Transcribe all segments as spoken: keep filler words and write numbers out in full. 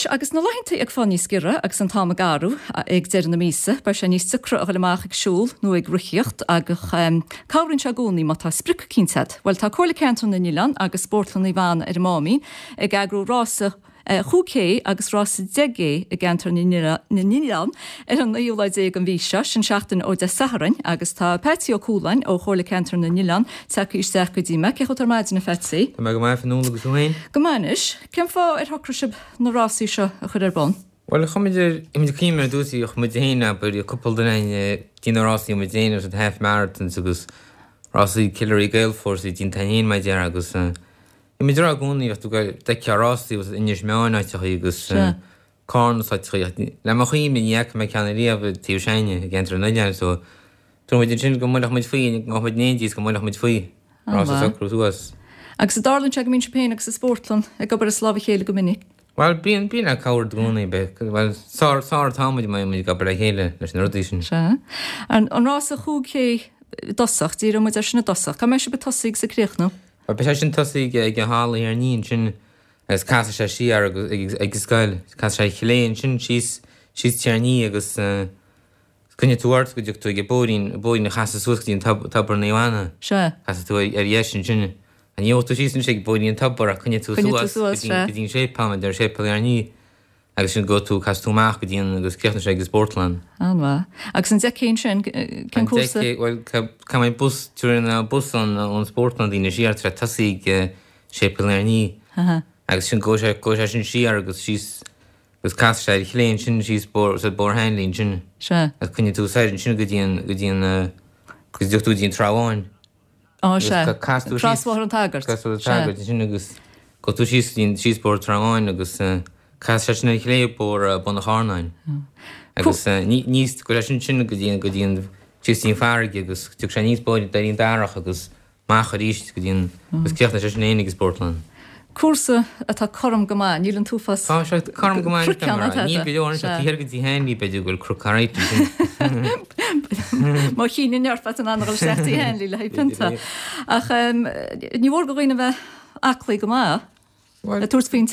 Agus na laethanta ag fáil níos giorra agus an t-am ag athrú ag deireadh na míosa, beidh sé níos deacra a dhul amach ag siúl nó ag rothaíocht agus cabhraíonn sé i gcónaí má tá sprioc eicínt agat. Bhuel tá Comhairle Ceantar na nOileán agus Spórtlann Naomh Anna ar an Máimín ag eagrú rása chúig K agus rása deich gCé i gceantar na nOileán ar an naoú lá déag den mhí seo, sin seachtain ó Dé Sathairn, agus tá Patsy Ó Cualáin ó Chomhairle Ceantar na nOileán tagtha isteach go dtí mé. Cén chaoi atá ar maidin, a Phatsy? Tá mé go maith Fionnuala agus tú féin? Go maith anois. Cén fáth ar shocraigh sibh na rásaí seo a chur ar bun? Bhuel, chuir muid ar, muid ag cuimhneamh ar dtús, chuir muid féin abair, cúpla duine againn déanamh rásaí muid féin agus half marathons agus rásaí Killary Gaelforce déanta féin mar deir agus Bhí muid ag rá i gcónaí bheadh tú ag d'fheicfeá rásaí agus Inis Meáin áiteachaí agus Carna is áiteachaí. Le mo chuimhne ní fhaca mé ceann ariamh i dtaobh s'againne i gceantar an oileáin so dúirt muid ansin go mbuailfeadh muid faoi, go mbeadh muid in éindí is go mbuailfeadh muid faoi rás a socrú suas. Agus an dtarlaíonn sé go mbíonn sibh féin agus an spórtlann ag obair as lámh a chéile go minic? Bhuel bíonn, bíonn le cabhair i gcónaí, beidh, bhuel sár, sár atá muid má bhíonn muid ag obair le chéile leis na rudaí sin. Sea. An, an rása chúig K i dtosach, díreoidh muid air sin i dtosach. Cá mbeidh sibh ag tosaí agus ag críochnú? Bhuel, beidh sé sin tosaí ag an halla Thír an Fhia ansin agus casfaidh sé siar agus ag an scoil, casfaidh sé ar chlé ansin síos, síos Tír an Fhia agus coinneoidh tú ort go dtiocfaidh tú ag an bóithrín, an bóithrín a chasadh suas go dtí an tobar Naomh Anna. Sea. Casfaidh tú ar dheis ansin. Ní gheobhaidh tú síos anois ag bóithrín an tobar ach coinneoidh tú suas go dtí an séipéal, mar deir séipéal Thír an Fhia. Agus sin gabhfaidh tú, casfaidh tú amach go dtí an, agus críochnóidh sé ag an spórtlann. An-mhaith. Agus an deich K ansin, cén cúrsa? An deich K, bhuel, cá mbeidh bus, tabharfaidh an bus ón, ón spórtlann daoine siar, tá sé tosaí ag Séipéal Thír an Fhia. Agus sin, gabhfaidh sé, gabhfaidh sé sin siar agus síos, agus casfaidh sé ar chlé ansin síos Bóthar, sa Bóthar Hanley ansin. Sea. Agus coinneoidh tú soir ansin go dtí an, go dtí an, go dtiocfaidh tú go dtí an Trá Bháin. Á, sea. Casfaidh tú síos. Crosbhóthar an tSagairt. Crosbhóthar an tSagairt ansin agus gabhfaidh tú síos go dtí an, síos Bóthar Trá Bháin agus casfaidh sé sin ar chlé Bóthar Bun an Charnáin. Agus ní, níos, gabhfaidh sé sin sin go dtí an, go dtí an, síos dtí an farraige agus tiocfaidh sé aníos Bóthar Doirín Darach agus amach arís go dtí an, agus críochnóidh sé sin féin ag an spórtlann. Cúrsa atá cothrom go maith, níl an t-uafás Tá sé cothrom go maith cnoic ann, mar níl go leor anseo, taobh thiar go dtí Hanley b'fhéidir go bhfuil cnoc alright ansin. Má chinneann ort beidh tú in ann a dhul isteach Tigh Hanley le haghaidh pionta. Ach ní mhór do dhaoine a bheith aclaí go maith le tabhairt faoin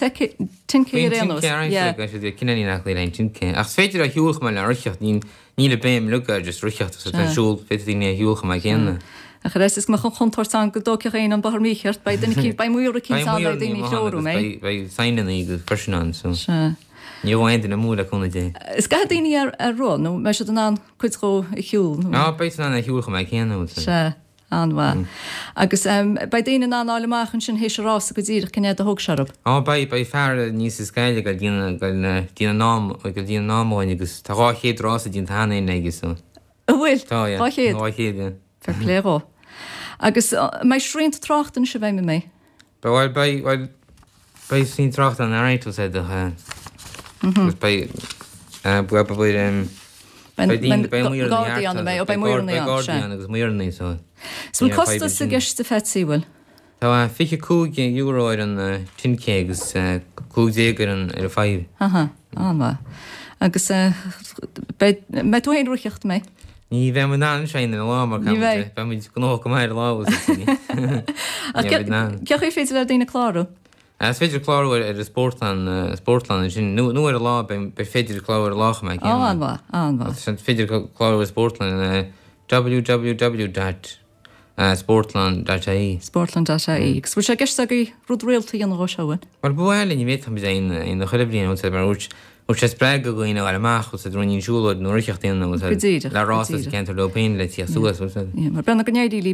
ten K ar aon nós. Faoin ten K ar aon cineál aclaí le ten K. Ach is féidir a shiúl chomh maith le rothaíocht, níl an béim uilig ar just rothaíocht agus ar siúl, féadfaidh daoine a shiúl chomh maith céanna. Ach ar fhaitíos go mbeadh an chontúirt ann go dtógfadh éinne an bóthar mícheart, beidh duine eicínt, beidh maor eicínt ann le daoine a threorú, mbeidh? Beidh signeanna agus freisin ann, so Sea. ní ghabhfaidh aon duine amú le cúnamh Dé. Is gcaithfidh daoine ar ar roth nó mbeidh siad in ann cuid dhó a shiúl nó? Á, beidh siad in ann a shiúl chomh maith céanna, bhfuil Sea, an-mhaith. Agus beidh daoine in ann fháil amach ansin théis an rása go díreach cén fhad a thóg sé orthu. Á, beidh, beidh fear aníos as Gaillimh ag dul déanamh, ag dul déanamh an am, ag dul déanamh an am dhúinn agus tá dhá chéad rása déanta cheana féin aige, so. An bhfuil? Tá, yeah. Dhá chéad? Dhá chéad, yeah. Fair play dhó. Agus an mbeidh srianta tráchta anois i bhfeidhm, an mbeidh? Bhuel, beidh, bhuel, beidh srianta tráchta ann alright, we'll say the, agus beidh, beidh, beidh, em, beidh daoine, beidh maoranna Gardaí ann, an mbeidh? Ó, beidh maoranna ann, sea. Beidh gardaí ann agus maoranna, so. Is bhfuil costas i gceist a Phatsy, bhfuil? Tá fiche cúig euro ar an ten K agus cúig déag ar an ar an five. Aha, an-mhaith. Agus beidh, mbeidh tú féin ag rothaíocht, an mbeidh? Ní bheidh mé in ann sin ar an lá mar Ní bheidh. beidh muid gnóthach go maith ar an lá agus ní Ach bheidh in ann. cén chaoi ar féidir le daoine clárú? Is féidir clárú ar ar an spórtlann, spórtlann ansin nó nó ar an lá beidh beidh féidir clárú ar an lá chomh maith Ó, céanna. an-mhaith, an-mhaith. Is féidir clárú ar spórtlann www dot Sportlann dot ie. Sportlann dot ie. Agus bhfuil sé i gceist agaibh rud rialta a dhéanamh dhó seo, an bhfuil? Bhuel, ba mhaith linn an bhféadfadh muid aon aon chuile bhliain, bhfuil mar dúirt dúirt sé spreagadh do dhaoine a ghabháil amach, bhfuil siad rinne siúlóid nó rothaíocht a dhéanamh, Go díreach, le go rás sa díreach. ceantar leo féin le tíocht suas, bhfuil Yeah, mar beannacht go n-éirí libh.